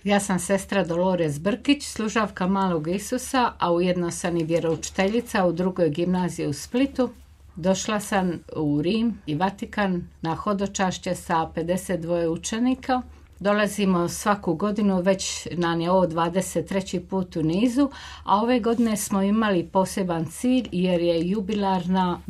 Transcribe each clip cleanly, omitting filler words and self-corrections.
Ja sam sestra Dolores Brkić, služavka Malog Isusa, a ujedno sam i vjeroučiteljica u drugoj gimnaziji u Splitu. Došla sam u Rim i Vatikan na hodočašće sa 52 učenika. Dolazimo svaku godinu, već nam je ovo 23. put u nizu, a ove godine smo imali poseban cilj jer je jubilarna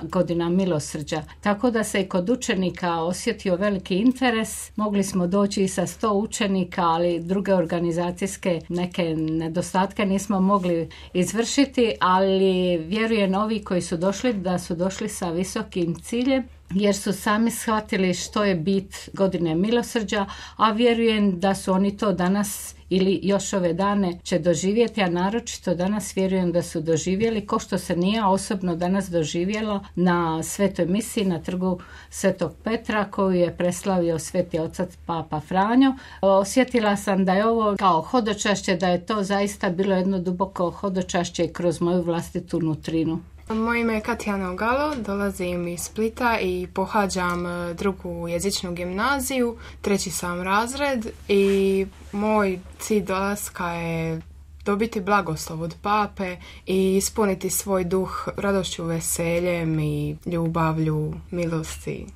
godina milosrđa. Tako da se i kod učenika osjetio veliki interes. Mogli smo doći i sa 100 učenika, ali druge organizacijske neke nedostatke nismo mogli izvršiti, ali vjerujem ovi koji su došli da su došli sa visokim ciljem, jer su sami shvatili što je bit godine milosrđa, a vjerujem da su oni to danas ili još ove dane će doživjeti, a naročito danas vjerujem da su doživjeli, ko što se nije osobno danas doživjelo na svetoj misiji na trgu Svetog Petra koju je preslavio sveti otac Papa Franjo. Osjetila sam da je ovo kao hodočašće, da je to zaista bilo jedno duboko hodočašće kroz moju vlastitu nutrinu. Moje ime je Katjana Ogalo, dolazim iz Splita i pohađam drugu jezičnu gimnaziju, 3. sam razred i moj cilj dolaska je dobiti blagoslov od pape i ispuniti svoj duh radošću, veseljem i ljubavlju, milosti.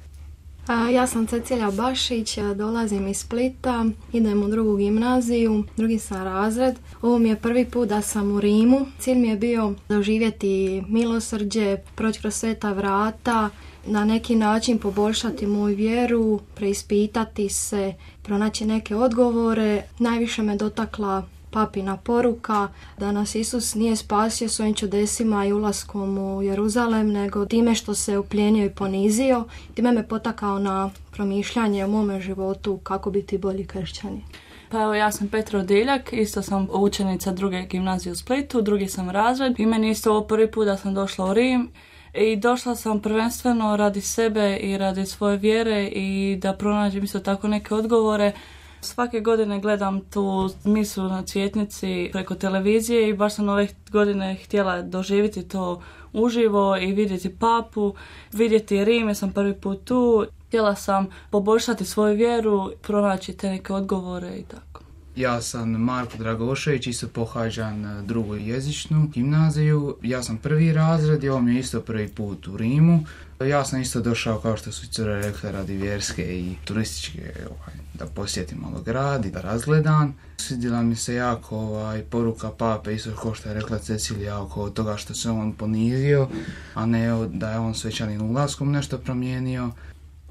Ja sam Cecilija Bašić, dolazim iz Splita, idem u drugu gimnaziju, 2. sam razred. Ovo mi je prvi put da sam u Rimu. Cilj mi je bio doživjeti milosrđe, proći kroz sveta vrata, na neki način poboljšati moju vjeru, preispitati se, pronaći neke odgovore. Najviše me dotakla papina poruka da nas Isus nije spasio svojim čudesima i ulaskom u Jeruzalem, nego time što se uplijenio i ponizio. Time me potakao na promišljanje o mome životu kako biti bolji kršćani. Pa evo, ja sam Petra Odiljak, isto sam učenica druge gimnazije u Splitu, 2. sam razred i meni isto ovo prvi put da sam došla u Rim. I došla sam prvenstveno radi sebe i radi svoje vjere i da pronađem isto tako neke odgovore. Svake godine gledam tu misu na Cvjetnici preko televizije i baš sam ove godine htjela doživjeti to uživo i vidjeti papu, vidjeti Rim, jer sam prvi put tu. Htjela sam poboljšati svoju vjeru, pronaći te neke odgovore i tako. Ja sam Marko Dragošević, isto pohađam drugu jezičnu gimnaziju. Ja sam 1. razred i ovo mi je isto prvi put u Rimu. Ja sam isto došao, kao što su cure rekle, radi vjerske i turističke, da posjetim malo grad i da razgledam. Svidjela mi se jako poruka pape, isto kao što je rekla Cecilija, oko toga što se on ponizio, a ne da je on svečanim ulaskom nešto promijenio.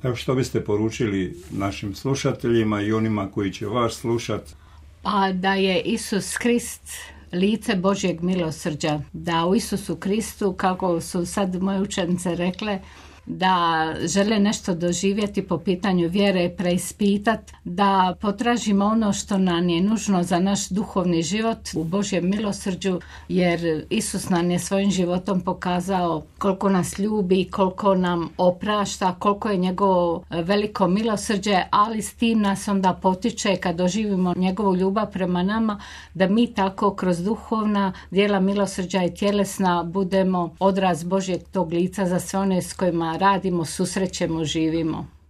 Evo, što biste poručili našim slušateljima i onima koji će vas slušati? Pa da je Isus Krist lice Božjeg milosrđa, da u Isusu Kristu, kako su sad moje učenice rekle, da žele nešto doživjeti po pitanju vjere, preispitati, da potražimo ono što nam je nužno za naš duhovni život u Božjem milosrđu, jer Isus nam je svojim životom pokazao koliko nas ljubi, koliko nam oprašta, koliko je njegovo veliko milosrđe, ali s tim nas onda potiče kad doživimo njegovu ljubav prema nama, da mi tako kroz duhovna djela milosrđa i tjelesna budemo odraz Božjeg tog lica za sve one s kojima radimo, susrećemo, živimo.